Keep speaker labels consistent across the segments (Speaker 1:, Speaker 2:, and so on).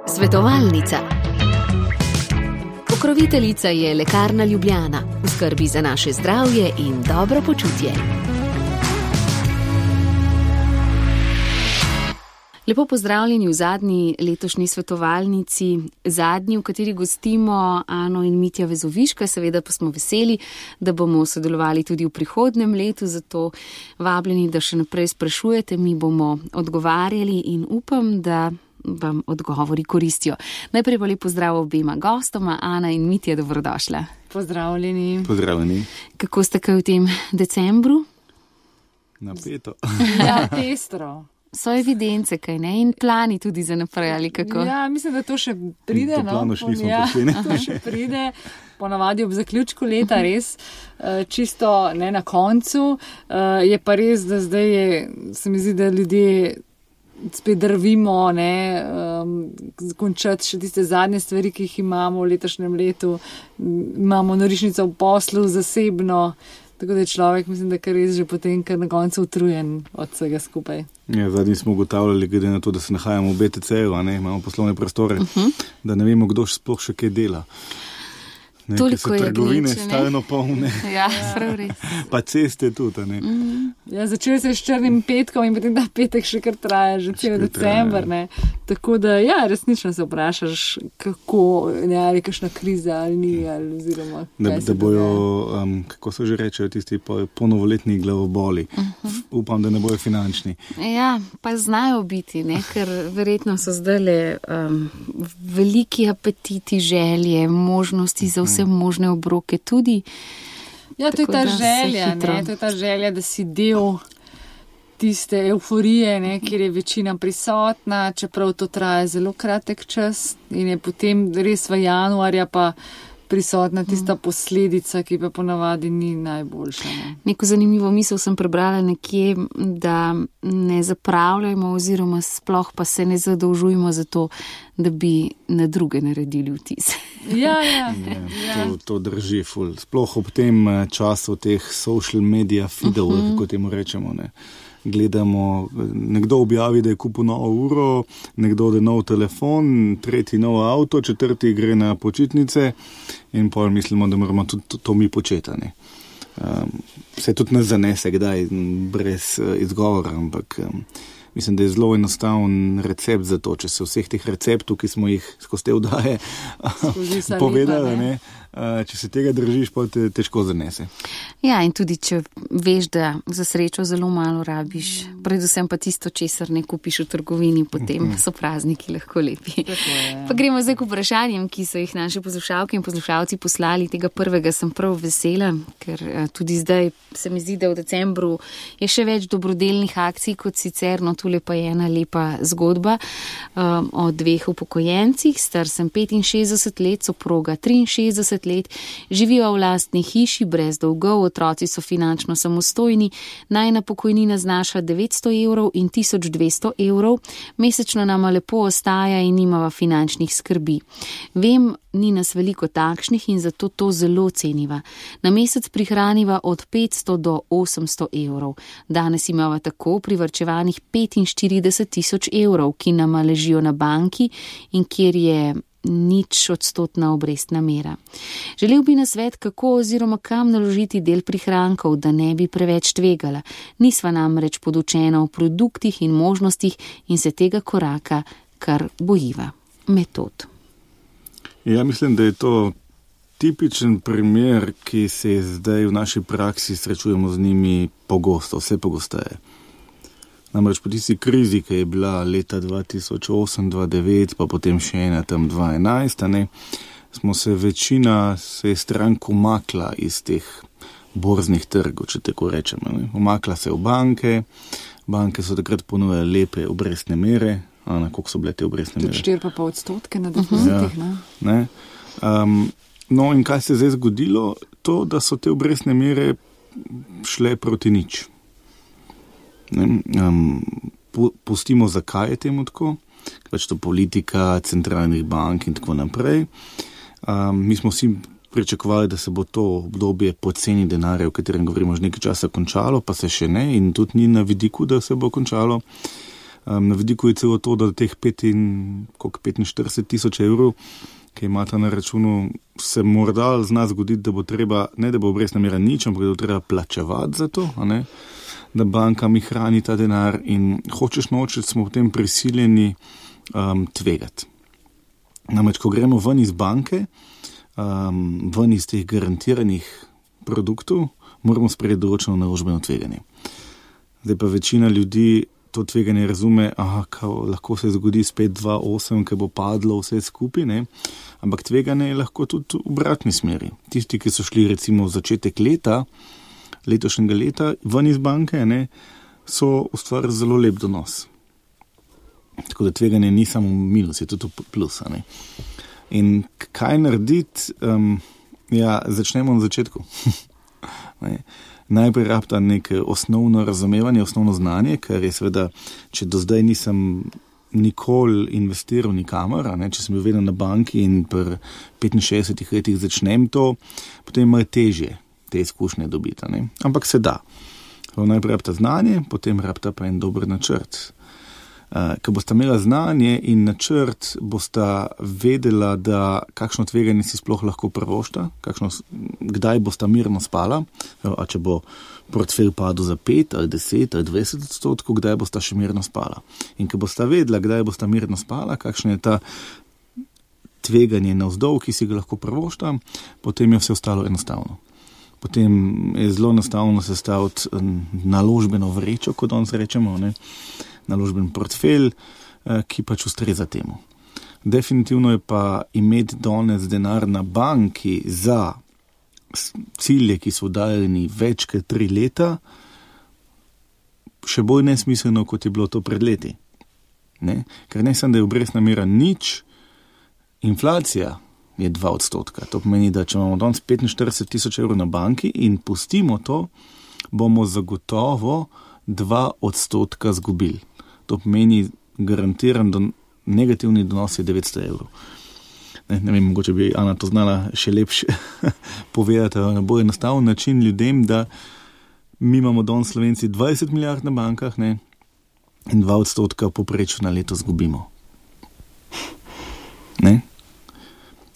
Speaker 1: Svetovalnica. Pokroviteljica je Lekarna Ljubljana, v skrbi za naše zdravje in dobro počutje. Lepo pozdravljeni v zadnji letošnji svetovalnici, zadnji, v kateri gostimo Ano in Mitja Vezoviška, seveda pa smo veseli, da bomo sodelovali tudi v prihodnjem letu, zato vabljeni, da še naprej sprašujete, mi bomo odgovarjali in upam, da vam odgovori koristijo. Najprej pa lep pozdrav obema gostoma, Ana in Mitja, dobrodošla.
Speaker 2: Pozdravljeni.
Speaker 3: Pozdravljeni.
Speaker 1: Kako ste kaj v tem decembru?
Speaker 3: Napeto.
Speaker 2: Ja, pestro.
Speaker 1: So evidence, kaj ne? In plani tudi za naprej, ali kako?
Speaker 2: Ja, mislim, da to še pride.
Speaker 3: To plano še nismo prišli, ne?
Speaker 2: To še pride, ponavadi ob zaključku leta, res, čisto ne na koncu. Je pa res, da zdaj se mi zdi, da ljudje spet drvimo, končati še tiste zadnje stvari, ki jih imamo v letošnjem letu. Imamo norišnico v poslu, zasebno. Tako da je človek, mislim, da kar res že potem, kar na koncu utrujen od vsega skupaj.
Speaker 3: Ja, zadnji smo ugotavljali, glede na to, da se nahajamo v BTC-ju, imamo poslovne prostore, da ne vemo, kdo sploh še kaj dela.
Speaker 1: Toliko je
Speaker 3: trgovine
Speaker 1: gneče,
Speaker 3: stalno polne.
Speaker 1: Ja, prav res.
Speaker 3: Pa ceste tudi, ne.
Speaker 2: Ja, začeli se s črnim petkom in potem ta petek še kar traja, že cel december, ne. Tako da, ja, resnično se vprašaš, kako, ali kakšna kriza, ali ni, ali oziroma
Speaker 3: da bojo, kako se že rečejo, tisti ponovoletni glavoboli. Upam, da ne bojo finančni.
Speaker 1: Ja, pa znajo biti, ne, ker verjetno so zdajle veliki apetiti, želje, možnosti za vse možne obroke tudi.
Speaker 2: Ja, to je ta želja, to je ta želja, da si del tiste euforije, kjer je večina prisotna, čeprav to traja zelo kratek čas in je potem res v januarja pa prisotna tista posledica, ki pa ponavadi ni najboljša.
Speaker 1: Neko zanimivo misel sem prebrala nekje, da ne zapravljajmo oziroma sploh pa se ne zadolžujmo za to, da bi na druge naredili vtis.
Speaker 2: Ja.
Speaker 3: To drži ful. Sploh ob tem času teh social media feedov, kako temu rečemo, ne. Gledamo, nekdo objavi, da je kupil novo uro, nekdo da je nov telefon, tretji nov avto, četrti gre na počitnice in pol mislimo, da moramo tudi to mi početi. Se tudi nas zanese kdaj brez izgovora, ampak mislim, da je zelo enostaven recept za to, če se vseh teh receptov, ki smo jih skozi te vdaje povedali, če se tega držiš, pa te težko zanese.
Speaker 1: Ja, in tudi, če veš, da za srečo zelo malo rabiš, predvsem pa tisto, česar ne kupiš v trgovini, potem so prazniki lahko lepi. Pa gremo zdaj k vprašanjem, ki so jih naše poslušalke in poslušalci poslali. Tega prvega sem prav vesela, ker tudi zdaj se mi zdi, da v decembru je še več dobrodelnih akcij kot sicer, no tule pa je ena lepa zgodba o dveh upokojencih. Star sem 65 let, soproga 63 let, živijo v lastni hiši brez dolgov, otroci so finančno samostojni, najna pokojnina znaša 900 evrov in 1200 evrov, mesečno nama lepo ostaja in nimava finančnih skrbi. Vem, ni nas veliko takšnih in zato to zelo ceniva. Na mesec prihraniva od 500 do 800 evrov. Danes imava tako privarčevanih 45 000 evrov, ki nama ležijo na banki in kjer je 0% obrestna mera. Želel bi nasvet, kako oziroma kam naložiti del prihrankov, da ne bi preveč tvegala. Nisva namreč podučena o produktih in možnostih in se tega koraka kar bojiva. Metod.
Speaker 3: Ja, mislim, da je to tipičen primer, ki se zdaj v naši praksi srečujemo z njimi pogosto, vse pogosteje. Namreč po tisti krizi, ki je bila leta 2008-2009, pa potem še ena tam 2011, smo se večina strank umakla iz teh borznih trgov, če tako rečemo. Umakla se v banke, banke so takrat ponujale lepe obrestne mere. Ana, koliko so bile te obrestne mere?
Speaker 2: 4,5% na depozitih,
Speaker 3: ne? No in kaj se je zdaj zgodilo? To, da so te obrestne mere šle proti nič. Pustimo, zakaj je temu tako, pač to politika, centralnih bank in tako naprej. Mi smo vsi pričakovali, da se bo to obdobje poceni denarja, o katerem govorimo že nekaj časa, končalo, pa se še ne in tudi ni na vidiku, da se bo končalo. Na vidiku je celo to, da teh 45 tisoč evrov, ki imata na računu, se morda zna zgoditi, da bo treba, ne da bo obrestna mera nič, ampak da bo treba plačevati za to, a ne? Da banka mi hrani ta denar in hočeš nočeš, smo potem prisiljeni tvegati. Namreč, ko gremo ven iz banke, ven iz teh garantiranih produktov, moramo sprejeti določeno naložbeno tveganje. Zdaj pa večina ljudi to tveganje razume, lahko se zgodi spet 2,8, ki bo padlo vse skupaj, ne? Ampak tveganje je lahko tudi v obratni smeri. Tisti, ki so šli recimo v začetek letošnjega leta, ven iz banke, ne, so ustvarili zelo lep donos. Tako da tveganje ni samo minus, je tudi plus. Ne. In kaj narediti? Začnemo na začetku. Najprej rabta neko osnovno razumevanje, osnovno znanje, ker je seveda, če do zdaj nisem nikoli investiral nikamor, če sem bil vedno na banki in pri 65 letih začnem to, potem je malo težje te izkušnje dobiti. Ne? Ampak se da. Najprej rabta znanje, potem rabta pa en dober načrt. Ko bosta imela znanje in načrt, bosta vedela, da kakšno tveganje si sploh lahko prvošta, kdaj bosta mirno spala, a če bo portfelj padel za 5 ali 10 ali 20%, kdaj bosta še mirno spala. In ko bosta vedela, kdaj bosta mirno spala, kakšno je ta tveganje navzdol, ki si ga lahko prvošta, potem je vse ostalo enostavno. Potem je zelo enostavno sestaviti naložbeno vrečo, kot danes rečemo, ne? Naložben portfelj, ki pač ustreza temu. Definitivno je pa imeti danes denar na banki za cilje, ki so daljeni več kot 3 leta, še bolj nesmiselno, kot je bilo to pred leti. Ne? Ker ne samo, da je obrestna mera nič, inflacija je 2%. To pomeni, da če imamo danes 45 tisoč evrov na banki in pustimo to, bomo zagotovo 2% zgubili. To pomeni garantiran negativni donos je 900 evrov. Ne vem, mogoče bi Ana to znala še lepše povedati na bolj enostaven način ljudem, da mi imamo danes Slovenci 20 milijard na bankah, ne, in 2% poprečno na leto zgubimo. Ne?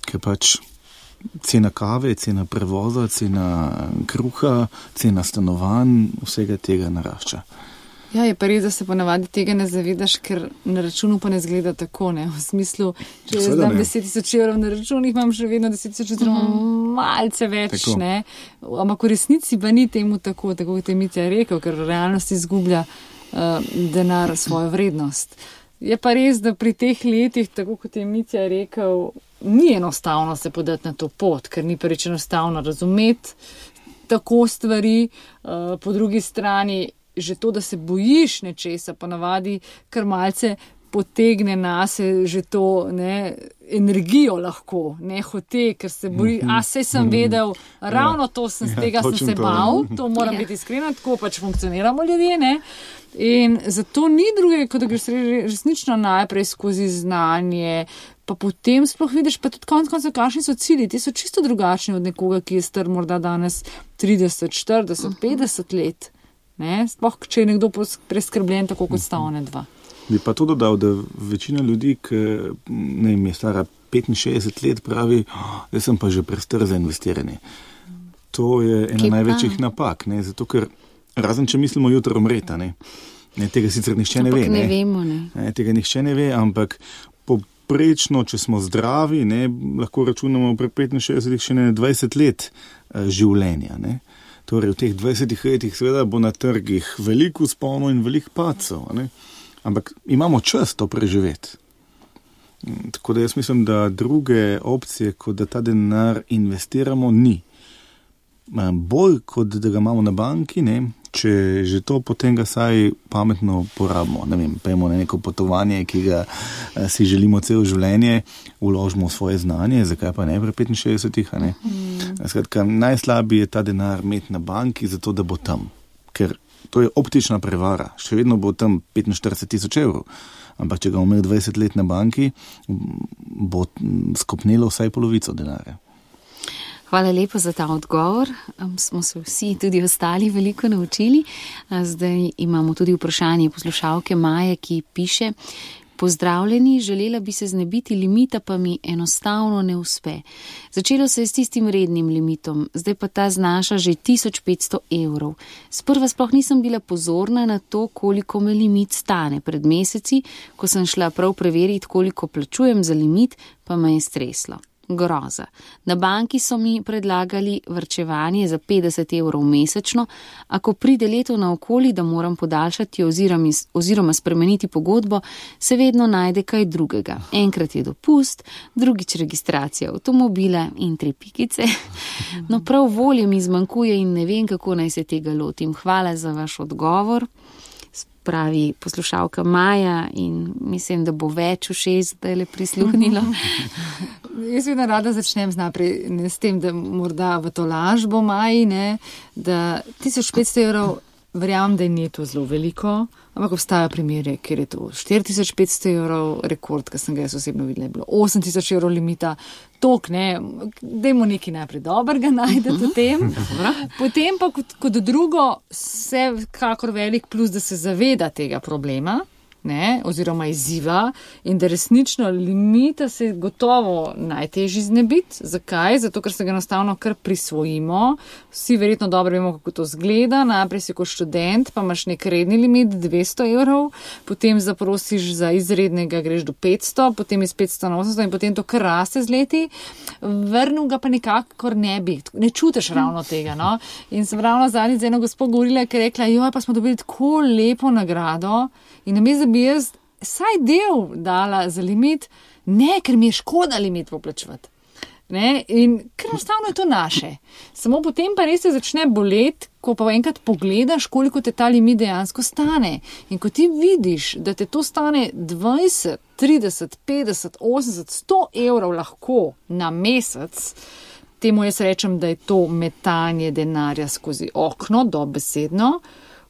Speaker 3: Ker pač cena kave, cena prevoza, cena kruha, cena stanovanj, vsega tega narašča.
Speaker 2: Ja, je pa res, da se ponavadi tega ne zavedaš, ker na računu pa ne zgleda tako, ne, v smislu, če jaz dam 10 tisoč evrov na računih, imam še vedno 10 tisoč evrov, malce več, tako. Ne, ampak v resnici pa ni temu tako kot je Mitja rekel, ker v realnosti izgublja denar svojo vrednost. Je pa res, da pri teh letih, tako kot je Mitja rekel, ni enostavno se podati na to pot, ker ni prvič enostavno razumeti tako stvari, po drugi strani že to, da se bojiš nečesa, ponavadi kar malce potegne nase že to, ne, energijo lahko, ne hote, ker se boji, saj sem vedel, ravno to sem, z tega sem se bal, to moram biti iskrena, tako pač funkcioniramo ljudje, ne. In zato ni druge, kot da greš resnično najprej skozi znanje, pa potem sploh vidiš, pa tudi konec, kakšni so cilji, ti so čisto drugačni od nekoga, ki je star morda danes 30, 40, 50 let. Ne? Sploh, če je nekdo preskrbljen, tako kot sta one dva.
Speaker 3: Bi pa to dodal, da večina ljudi, ki je stara 65 let, pravi, da sem pa že prestar za investiranje. To je ena največjih napak, ne? Zato ker razen, če mislimo jutro umreti, ne? Tega sicer nihče ne ve.
Speaker 1: Ne vemo, ne.
Speaker 3: Tega nihče ne ve, ampak poprečno, če smo zdravi, ne, lahko računamo pri 65 še ne 20 let življenja, ne. Torej, v teh 20 letih seveda bo na trgih veliko vzponov in veliko padcev, ne? Ampak imamo čas to preživeti. Tako da jaz mislim, da druge opcije, kot da ta denar investiramo, ni. Bolj, kot da ga imamo na banki, ne? Če že to, potem ga saj pametno porabimo. Ne vem, pojmo na neko potovanje, ki ga si želimo celo življenje, vložimo v svoje znanje, zakaj pa ne pri 65-ih, a ne? Skratka, najslabije je ta denar imeti na banki, zato da bo tam. Ker to je optična prevara. Še vedno bo tam 45 tisoč evrov. Ampak če ga bomo imeli 20 let na banki, bo skopnelo vsaj polovico denarja.
Speaker 1: Hvala lepa za ta odgovor. Smo se vsi, tudi ostali, veliko naučili. Zdaj imamo tudi vprašanje poslušalke Maje, ki piše: Pozdravljeni, želela bi se znebiti limita, pa mi enostavno ne uspe. Začelo se je s tistim rednim limitom, zdaj pa ta znaša že 1500 €. Sprva sploh nisem bila pozorna na to, koliko me limit stane. Pred meseci, ko sem šla prav preveriti, koliko plačujem za limit, pa me je streslo. Groza. Na banki so mi predlagali varčevanje za 50 € mesečno, a ko pride leto naokoli, da moram podaljšati oziroma spremeniti pogodbo, se vedno najde kaj drugega. Enkrat je dopust, drugič registracija avtomobila in 3 pikice. No, prav volje mi zmanjkuje in ne vem, kako naj se tega lotim. Hvala za vaš odgovor. Pravi poslušalka Maja, in mislim, da bo več ušes, da je le prisluhnilo.
Speaker 2: Jaz vedno rada začnem s tem, da morda v to lažbo Maji, da 1500 €, verjamem, da ni to zelo veliko, ampak obstajajo primere, kjer je to 4500 € rekord, ki sem ga jaz osebno videla, je bilo 8000 € limita. Tok, dajmo nekaj najprej dobrega najdete v tem. Potem pa kot drugo, vse kakor velik plus, da se zaveda tega problema, oziroma izziva, in da resnično limita se gotovo najtežji znebiti. Zakaj? Zato, ker se ga enostavno kar prisvojimo. Vsi verjetno dobro vemo, kako to zgleda. Najprej si kot študent, pa imaš nek redni limit 200 €, potem zaprosiš za izrednega, greš do 500, potem iz 500 na 800 in potem to kar raste z leti. Vrnil ga pa nekakor ne bi. Ne čutiš ravno tega, no? In sem ravno zadnjič z eno gospo govorila, ki je rekla, joj, pa smo dobili tako lepo nagrado, in namesto da bi jaz vsaj del dala za limit, ne, ker mi je škoda limit poplačevati. In ker enostavno je to naše. Samo potem pa res se začne boleti, ko pa enkrat pogledaš, koliko te ta limit dejansko stane. In ko ti vidiš, da te to stane 20, 30, 50, 80, 100 € lahko na mesec, temu jaz rečem, da je to metanje denarja skozi okno, dobesedno,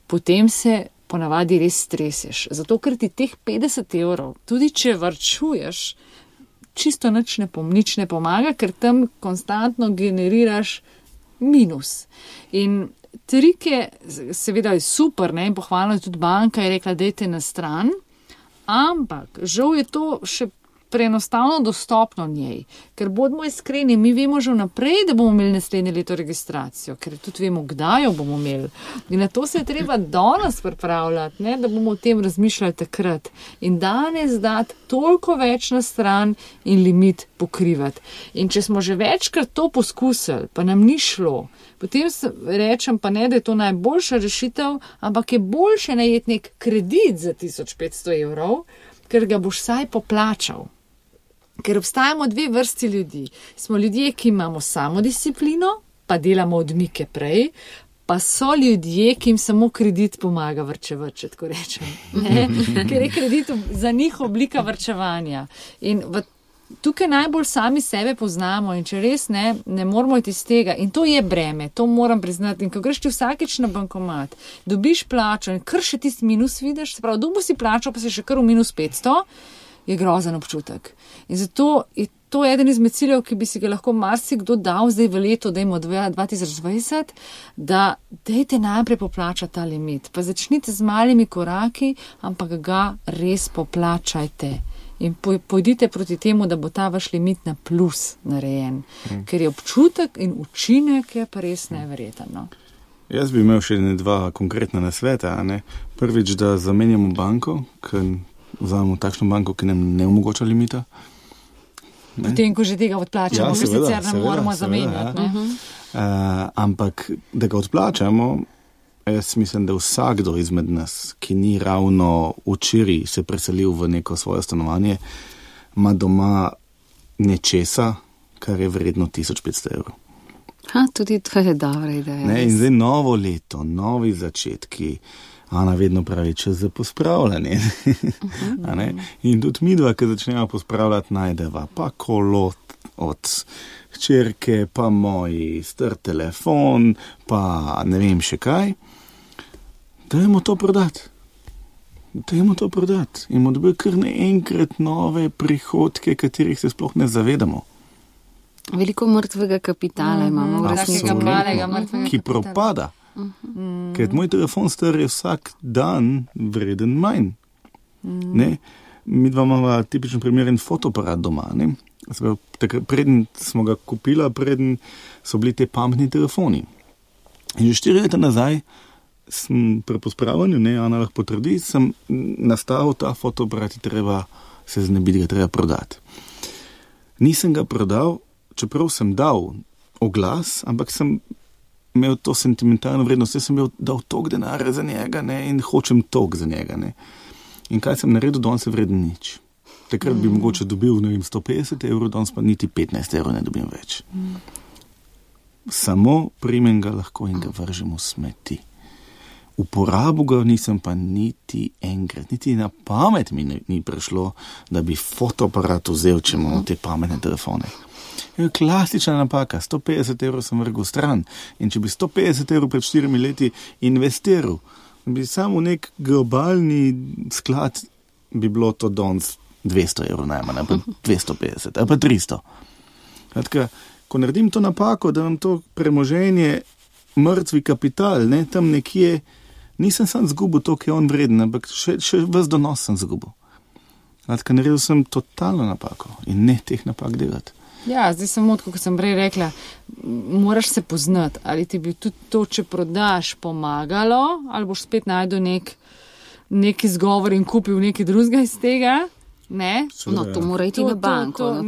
Speaker 2: potem se ponavadi res streseš. Zato, ker ti teh 50 €, tudi če varčuješ, čisto nič ne pomaga, ker tam konstantno generiraš minus. In trik je, seveda je super, in pohvalno je tudi banka je rekla, dajte na stran, ampak žal je to še preenostavno dostopno njej, ker bodimo iskreni, mi vemo že vnaprej, da bomo imeli naslednje leto registracijo, ker tudi vemo, kdaj jo bomo imeli. In na to se je treba danes pripravljati, da bomo o tem razmišljali takrat. In danes dati toliko več na stran in limit pokrivati. In če smo že večkrat to poskusili, pa nam ni šlo, potem rečem pa ne, da je to najboljša rešitev, ampak je boljše najeti nek kredit za 1500 €, ker ga boš vsaj poplačal. Ker obstajamo dve vrsti ljudi. Smo ljudje, ki imamo samodisciplino, pa delamo odmike prej, pa so ljudje, ki jim samo kredit pomaga varčevati, če tako rečem. Ker je kredit za njih oblika varčevanja. In tukaj najbolj sami sebe poznamo, in če res ne moramo iti iz tega, in to je breme, to moram priznati. In ko greš ti vsakeč na bankomat, dobiš plačo in kar še tisti minus vidiš, se pravi, dobil si plačo, pa si še kar v minus 500, je grozen občutek. In zato je to eden izmed ciljev, ki bi si ga lahko marsikdo dal zdaj v letu, dajmo 2020, da dajte najprej poplačati ta limit. Pa začnite z malimi koraki, ampak ga res poplačajte. In pojdite proti temu, da bo ta vaš limit na plus narejen. Ker je občutek in učinek je pa res neverjeten. No?
Speaker 3: Jaz bi imel še dva konkretna nasveta. Prvič, da zamenjamo banko, ker vzamemo takšno banko, ki nam ne omogoča limita.
Speaker 2: Potem, ko že tega odplačamo, sicer ne moramo zamenjati.
Speaker 3: Ampak, da ga odplačamo, jaz mislim, da vsakdo izmed nas, ki ni ravno včeraj se preselil v neko svoje stanovanje, ima doma nečesa, kar je vredno 1500 €.
Speaker 1: Tudi to je dobra ideja.
Speaker 3: In zdaj novo leto, novi začetki. Ana vedno pravi, čas za pospravljanje. In tudi midva, ki začnemo pospravljati, najdeva pa kolo od hčerke, pa moj star telefon, pa ne vem še kaj. Dajmo to prodati. In bomo dobili kar naenkrat nove prihodke, katerih se sploh ne zavedamo.
Speaker 1: Veliko mrtvega kapitala imamo v resnici.
Speaker 3: Ki propada. Ker moj telefon star je vsak dan vreden manj. Ne? Mi dva imamo tipičen primer in fotoaparat doma. Ne? Preden smo ga kupila, preden so bili te pametni telefoni. In že 4 leta nazaj sem pri pospravanju, Ana lahko potrdi, sem nastavil ta fotoaparat, treba se znebiti, ga treba prodati. Nisem ga prodal, čeprav sem dal oglas, ampak sem imel to sentimentalno vrednost, sem dal toliko denarja za njega in hočem toliko za njega. In kaj sem naredil, danes je vreden nič. Takrat bi mogoče dobil, 150 €, danes pa niti 15 € ne dobim več. Samo primem ga lahko in ga vržem v smeti. Uporabo ga nisem pa niti enkrat, niti na pamet mi ni prišlo, da bi fotoaparat vzel, če imamo te pametne telefone. Je klasična napaka, 150 € sem vrgel stran in če bi 150 € pred 4 leti investiral, bi samo nek globalni sklad, bi bilo to danes 200 € najmanj, ali pa 250, ali pa 300. Kratka, ko naredim to napako, da vam to premoženje, mrtvi kapital, tam nekje, nisem sam zgubil to, ki je on vreden, ampak še ves donos sem zgubil. Kratka, naredil sem totalno napako in ne teh napak delati.
Speaker 2: Ja, zdaj samo, kot sem prej rekla, moraš se poznati, ali ti bi tudi to, če prodaš, pomagalo, ali boš spet najdel nek izgovor in kupil nekaj drugega iz tega. Ne?
Speaker 1: No, to mora iti na banko.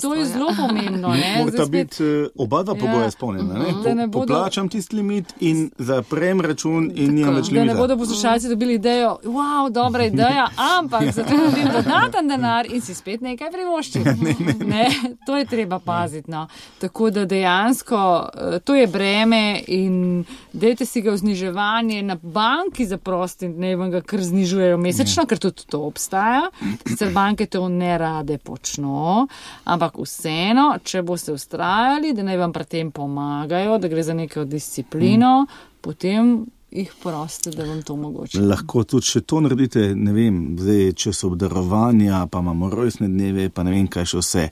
Speaker 2: To je zelo pomembno.
Speaker 3: Morata biti oba dva pogoja izpolnjena. Poplačam tisti limit in zaprem račun in nimam več limita.
Speaker 2: Da ne bodo poslušalci dobili idejo, wow, dobra ideja, ampak zato dobim dodaten denar in si spet nekaj privoščim. Ne, to je treba paziti. No. Tako da dejansko to je breme in dajte si ga v zniževanje na banki za prosti, ne vam ga kar znižujejo mesečno, ker tudi to obstaja. Banke to ne rade počno, ampak vseeno, če boste ustrajali, da naj vam pri tem pomagajo, da gre za neko disciplino, potem jih proste, da vam to omogoči.
Speaker 3: Lahko tudi še to naredite, ne vem, zdaj, če so obdarovanja, pa imamo rojstne dneve, pa ne vem, kaj še vse.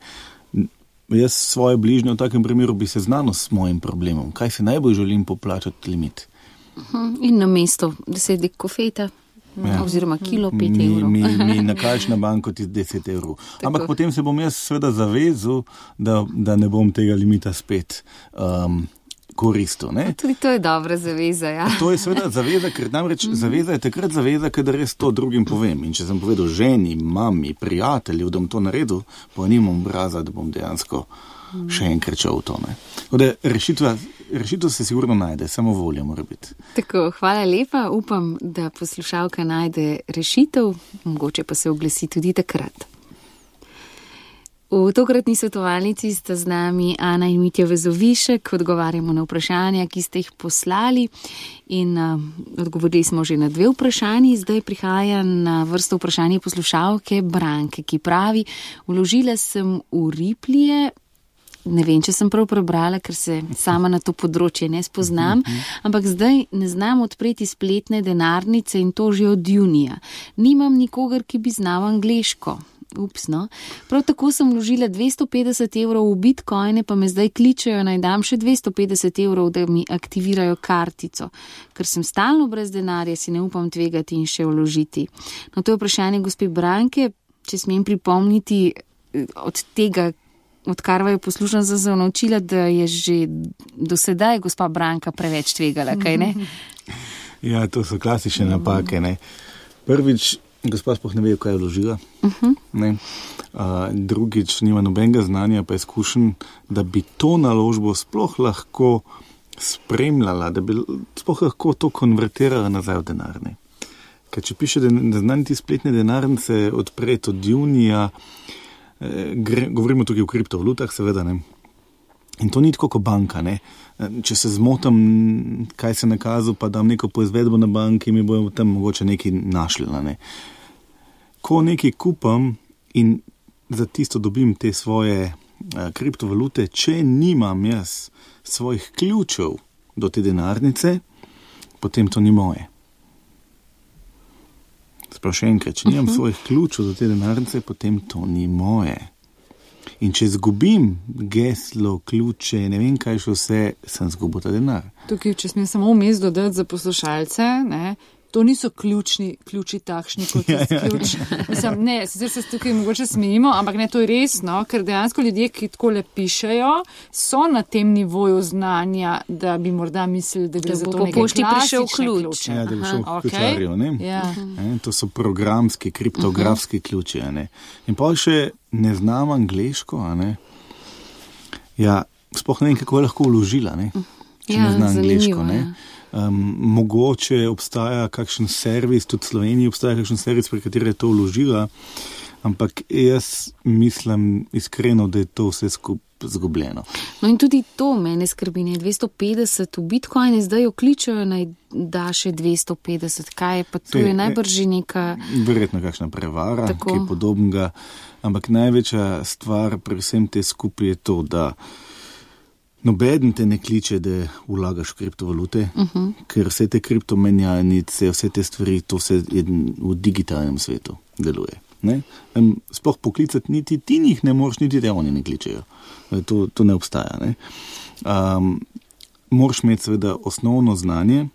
Speaker 3: Jaz svoje bližnje v takem primeru bi se znano s mojim problemom. Kaj se najbolj želim poplačati limit?
Speaker 1: In na mesto 10 kofeta. Ja. Oziroma kilo 5 €.
Speaker 3: Mi nakažeš na banko ti 10 €. Ampak potem se bom jaz seveda zavezal, da ne bom tega limita spet koristil. Ne?
Speaker 1: Tudi to je dobra zaveza, ja.
Speaker 3: To je seveda zaveza, ker namreč zaveza je takrat zaveza, kadar res to drugim povem. In če sem povedal ženi, mami, prijatelju, da bom to naredil, pa nimam obraza, da bom dejansko še enkrat šel v to. Rešitev se sigurno najde, samo volja mora biti.
Speaker 1: Tako, hvala lepa. Upam, da poslušalka najde rešitev, mogoče pa se oglasi tudi takrat. V tokratni svetovalnici sta z nami Ana in Mitja Vezovišek, odgovarjamo na vprašanja, ki ste jih poslali in odgovorili smo že na 2 vprašanji. Zdaj prihaja na vrsto vprašanje poslušalke Branke, ki pravi, vložila sem v Riplije. Ne vem, če sem prav prebrala, ker se sama na to področje ne spoznam, ampak zdaj ne znam odpreti spletne denarnice in to že od junija. Nimam nikogar, ki bi znal angleško. Ups, no. Prav tako sem vložila 250 € v bitcoine, pa me zdaj kličejo, naj dam še 250 €, da mi aktivirajo kartico. Ker sem stalno brez denarja, si ne upam tvegati in še vložiti. No, to je vprašanje gospe Branke, če smem pripomniti od tega, odkar vaju poslušam, sem se naučila, da je že do sedaj gospa Branka preveč tvegala, kaj ne?
Speaker 3: Ja, to so klasične napake, ne. Prvič, gospa sploh ne ve, kaj je vložila. Drugič, nima nobenega znanja, pa izkušen, da bi to naložbo sploh lahko spremljala, da bi sploh lahko to konvertirala nazaj v denar. Ne. Ker če piše, da znani ti spletne denarnice odpreti od junija, govorimo tukaj o kriptovalutah, seveda, ne. In to ni tako kot banka, ne. Če se zmotam, kaj se nakazal, pa dam neko poizvedbo na banki, mi bojo tam mogoče nekaj našli, ne. Ko nekaj kupam in za tisto dobim te svoje kriptovalute, če nimam jaz svojih ključev do te denarnice, potem to ni moje. Sprav še enkrat, če nimam svojih ključov do te denarnice, potem to ni moje. In če zgubim geslo, ključe, ne vem kaj še vse, sem zgubil ta denar.
Speaker 2: Tukaj, če smem samo vmes dodati za poslušalce, ne, to niso ključi takšni kot ključ. Mislim, ne, sicer se tukaj mogoče smejimo, ampak ne, to je resno, ker dejansko ljudje, ki takole pišejo, so na tem nivoju znanja, da bi morda mislili, da gre za to nekaj klasične ključe.
Speaker 3: Ja, da bi šel ključarjev, ne?
Speaker 2: Ja.
Speaker 3: To so programski, kriptografski ključi, ne? In pa še ne znam angleško, ne? Ja, sploh ne vem, kako je lahko vložila, ne? Če ne zna angleško, ne? Mogoče obstaja kakšen servis, tudi v Sloveniji obstaja kakšen servis, pri kateri je to vložila, ampak jaz mislim iskreno, da je to vse skupaj zgubljeno.
Speaker 1: No in tudi to mene skrbi, ne 250 v Bitcoine, zdaj jo kličejo, naj da še 250, kaj je pa to je najbrž neka...
Speaker 3: Verjetno kakšna prevara, kaj podobnega, ampak največja stvar pri vsem te skupaj je to, da nobeden te ne kliče, da vlagaš v kriptovalute, ker vse te kriptomenjalnice, vse te stvari, to vse v digitalnem svetu deluje. Ne? Sploh poklicati niti ti njih ne moreš, niti te oni ne kličejo. To ne obstaja. Ne? Moraš imeti seveda osnovno znanje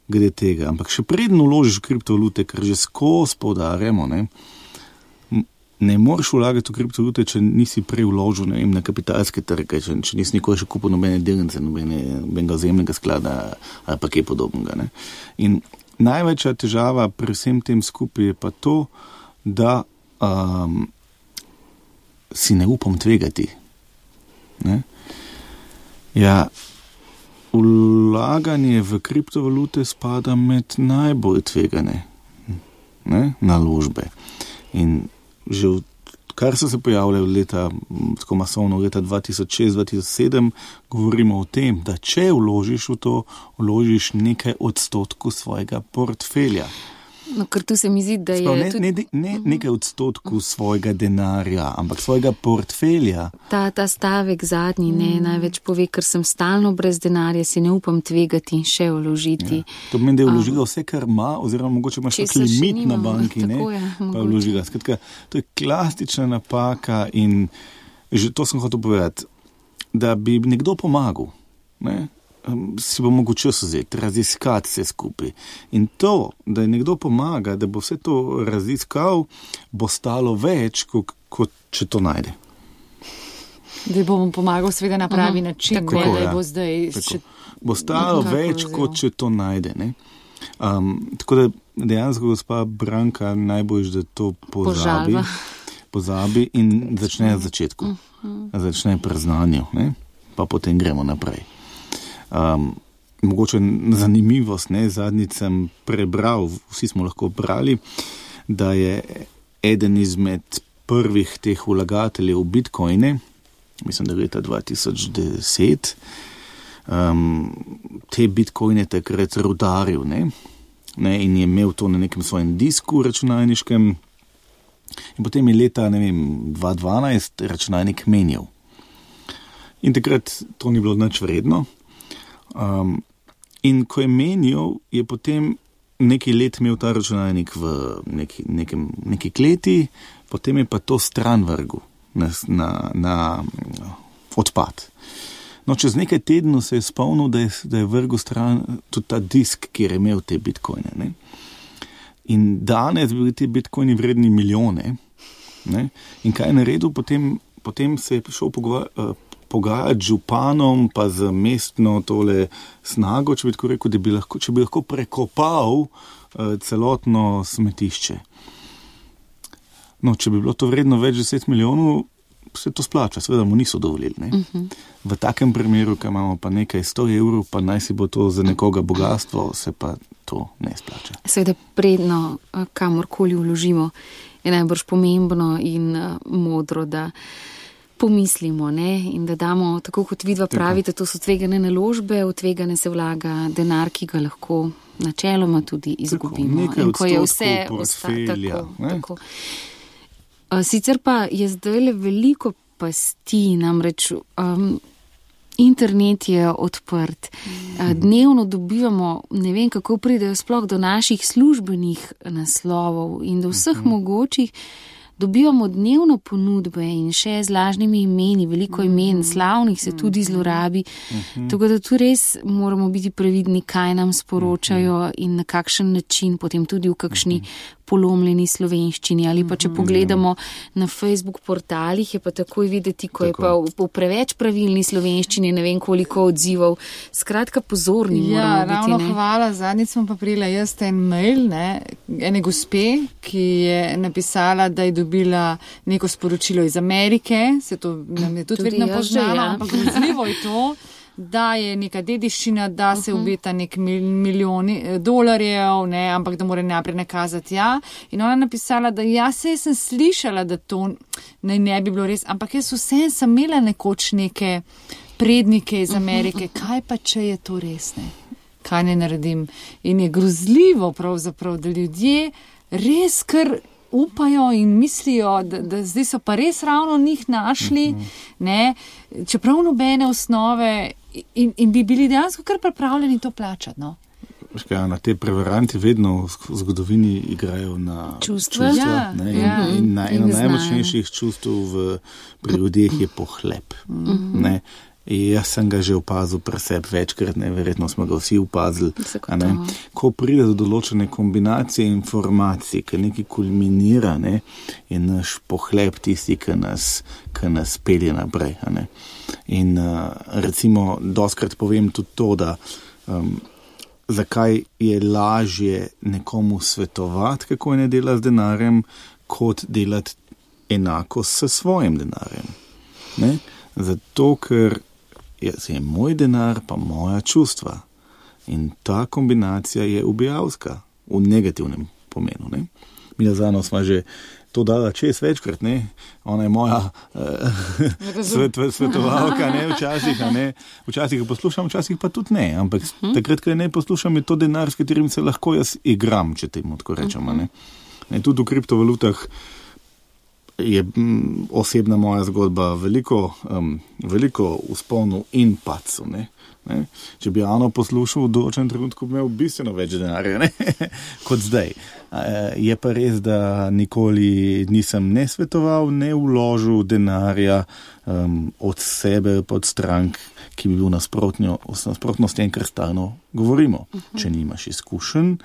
Speaker 3: glede tega, ampak še preden vložiš v kriptovalute, ker že skozi poudarjamo, ne moreš vlagati v kriptovalute, če nisi prej vložil na kapitalske trge, če nisi nikoli še kupil nobene delnice, nobenega vzajemnega sklada ali pa kaj podobnega. Ne. In največja težava pri vsem tem skupaj je pa to, da si ne upam tvegati. Ne. Ja, vlaganje v kriptovalute spada med najbolj tvegane naložbe. In že kar so se pojavljali tako masovno leta 2006-2007, govorimo o tem, da če vložiš v to, vložiš nekaj odstotkov svojega portfelja.
Speaker 1: No, ker tu se mi zdi, da je...
Speaker 3: Ne nekaj odstotkov svojega denarja, ampak svojega portfelja.
Speaker 1: Ta stavek zadnji največ pove, ker sem stalno brez denarja, si ne upam tvegati in še vložiti. Ja.
Speaker 3: To pomeni, da je vložila vse, kar ima, oziroma mogoče imaš tak limit na banki, pa vložila. Skratka, to je klasična napaka in že to sem hotel povedati, da bi nekdo pomagal, ne? Si bo mogel čas vzeti, raziskati vse skupaj. In to, da je nekdo pomaga, da bo vse to raziskal, bo stalo več, kot če to najde.
Speaker 2: Da bo mu pomagal seveda na pravi način,
Speaker 3: tako,
Speaker 2: da bo zdaj...
Speaker 3: Bo stalo več, kot če to najde. Ne? Tako da dejansko gospa Branka najbolj, da to pozabi in začne na začetku. Začne pri znanju, ne? Pa potem gremo naprej. Mogoče zanimivost, zadnjič sem prebral, vsi smo lahko brali, da je eden izmed prvih teh vlagateljev v Bitcoine, mislim, da leta 2010, te Bitcoine takrat rudaril, ne, in je imel to na nekem svojem disku računalniškem in potem je leta, 2012 računalnik menjal. In takrat to ni bilo nič vredno. In ko je menjal, je potem nekaj let imel ta računalnik v neki kleti, potem je pa to stran vrgel na odpad. No, čez nekaj tednov se je spomnil, da je vrgel stran tudi ta disk, kjer je imel te bitcoine. Ne? In danes bili ti bitcoini vredni milijone. Ne? In kaj je naredil? Potem se je šel pogajati z županom, pa z mestno tole snago, če bi tako rekel, da če bi lahko prekopal celotno smetišče. No, če bi bilo to vredno več 10 milijonov, se to splača, seveda mu niso dovolili. Ne? V takem primeru, ko imamo pa nekaj 100 evrov, pa naj si bo to za nekoga bogatstvo, se pa to ne splača.
Speaker 1: Seveda predno, kamorkoli vložimo, je najbrž pomembno in modro, da pomislimo, ne? In da damo, tako kot vidva pravite, to so tvegane naložbe, v tvegane se vlaga denar, ki ga lahko načeloma tudi izgubimo.
Speaker 3: Nekaj odstotkov portfelja.
Speaker 1: Tako. Sicer pa je zdaj veliko pasti, namreč internet je odprt. Dnevno dobivamo, ne vem kako pridejo sploh do naših službenih naslovov in do vseh mogočih dobivamo dnevno ponudbe in še z lažnimi imeni, veliko imen, slavnih se tudi zlorabi. Tako da tu res moramo biti previdni, kaj nam sporočajo in na kakšen način, potem tudi v kakšni polomljeni slovenščini. Ali pa če pogledamo na Facebook portalih, je pa takoj videti, ko je pa v preveč pravilni slovenščini, ne vem koliko odzivov. Skratka, pozorni moramo biti.
Speaker 2: Ravno hvala. Zadnjič sem pa prijela jaz en mail, ene gospe, ki je napisala, da je dobila neko sporočilo iz Amerike, se to nam je tudi vedno poznalo, ampak grozljivo je to, da je neka dediščina, da se obeta nek milijoni dolarjev, ampak da mora najprej nakazati In ona napisala, da sej sem slišala, da to ne bi bilo res, ampak jaz vsem sem imela nekoč neke prednike iz Amerike, kaj pa če je to res, kaj ne naredim. In je grozljivo pravzaprav, da ljudje res kar upajo in mislijo, da zdaj so pa res ravno njih našli, čeprav nobene osnove in bi bili dejansko kar pripravljeni to plačati,
Speaker 3: Na te prevaranti vedno v zgodovini igrajo na čustva. In na eno najmočnejših čustv pri ljudeh je pohlep. Jaz sem ga že opazil pri sebi večkrat, verjetno smo ga vsi opazili. Ko pride do določene kombinacije informacij, ki nekaj kulminira, je naš pohlep tisti, ki nas pelje naprej. In recimo, doskrat povem tudi to, da zakaj je lažje nekomu svetovati, kako ne dela z denarjem, kot delati enako s svojim denarjem. Zato, ker je moj denar pa moja čustva. In ta kombinacija je ubijalska v negativnem pomenu. Mi Zano smo že to dala čez večkrat, Ona je moja svetovalka, Včasih jo poslušam, včasih pa tudi ne. Ampak takrat, ko ne poslušam, je to denar, s katerim se lahko jaz igram, če temu tako rečemo. Tudi v kriptovalutah je osebna moja zgodba veliko vzponov in padcev. Če bi Ano poslušal, v določenem trenutku bi imel bistveno več denarja, kot zdaj. Je pa res, da nikoli nisem ne svetoval, ne vložil denarja od sebe, pod strank, ki bi bil nasprotno s tem, kar stalno govorimo. Če nimaš izkušenj,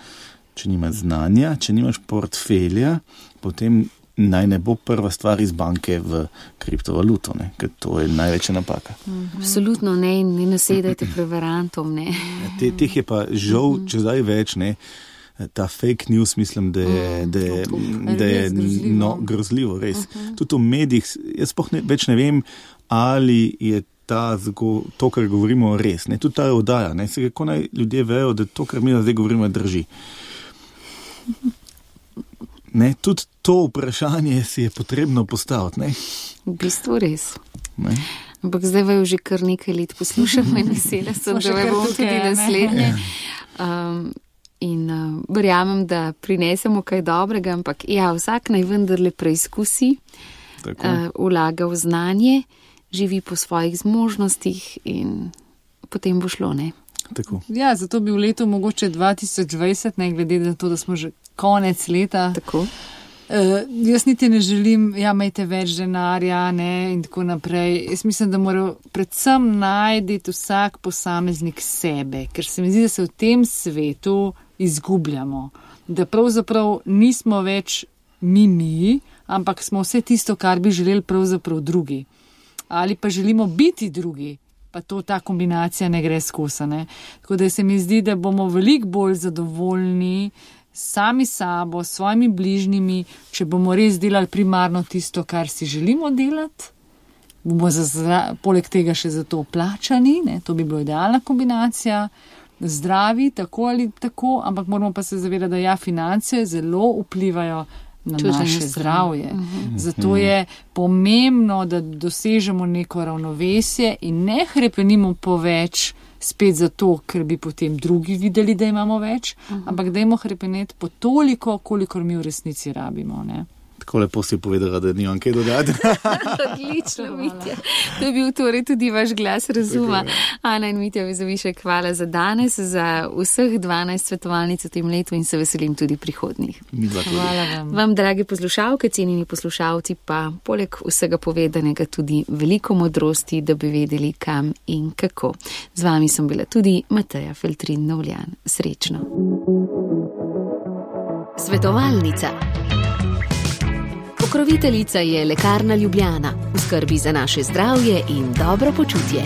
Speaker 3: če nimaš znanja, če nimaš portfelja, potem naj ne bo prva stvar iz banke v kriptovaluto, ker to je največja napaka.
Speaker 1: Absolutno ne nasedajte prevarantom.
Speaker 3: Teh je pa žal, če zdaj več, ta fake news, mislim, da je grozljivo, res. Tudi v medijih, jaz več ne vem, ali je to, kar govorimo, res. Tudi ta oddaja, kako naj ljudje vejo, da to, kar mi zdaj govorimo, drži. Tudi to vprašanje si je potrebno postaviti.
Speaker 1: V bistvu res. Ampak zdaj vaju že kar nekaj let poslušamo in vesela sem, da vaju bom tudi naslednje. In verjamem, da prinesemo kaj dobrega, ampak vsak naj vendarle preizkusi, vlaga v znanje, živi po svojih zmožnostih in potem bo šlo,
Speaker 3: Tako.
Speaker 2: Zato bi v letu mogoče 2020, glede na to, da smo že konec leta.
Speaker 1: Tako.
Speaker 2: Jaz niti ne želim, imejte več denarja, in tako naprej. Jaz mislim, da mora predvsem najti vsak posameznik sebe, ker se mi zdi, da se v tem svetu izgubljamo. Da pravzaprav nismo več mi, ampak smo vse tisto, kar bi želeli pravzaprav drugi. Ali pa želimo biti drugi. Pa ta kombinacija ne gre skozi. Tako da se mi zdi, da bomo veliko bolj zadovoljni sami sabo, s svojimi bližnjimi, če bomo res delali primarno tisto, kar si želimo delati. Bomo poleg tega še za to plačani, to bi bila idealna kombinacija. Zdravi, tako ali tako, ampak moramo pa se zavedati, da finance zelo vplivajo na naše zdravje. Zato je pomembno, da dosežemo neko ravnovesje in ne hrepenimo po več spet zato, ker bi potem drugi videli, da imamo več, ampak dajmo hrepeneti po toliko, kolikor mi v resnici rabimo.
Speaker 3: Tako lepo si povedala, da nimam kaj dodati.
Speaker 1: Odlično, Mitja. To je bil torej tudi vaš glas razuma. Ana in Mitja Vezovišek, hvala za danes, za vseh 12 svetovalnic v tem letu in se veselim tudi prihodnjih.
Speaker 2: Hvala vam.
Speaker 1: Vam, dragi poslušalke, cenjeni poslušalci, pa poleg vsega povedanega tudi veliko modrosti, da bi vedeli, kam in kako. Z vami sem bila tudi Mateja Feltrin Novljan. Srečno.
Speaker 4: Svetovalnica. Pokroviteljica je Lekarna Ljubljana, v skrbi za naše zdravje in dobro počutje.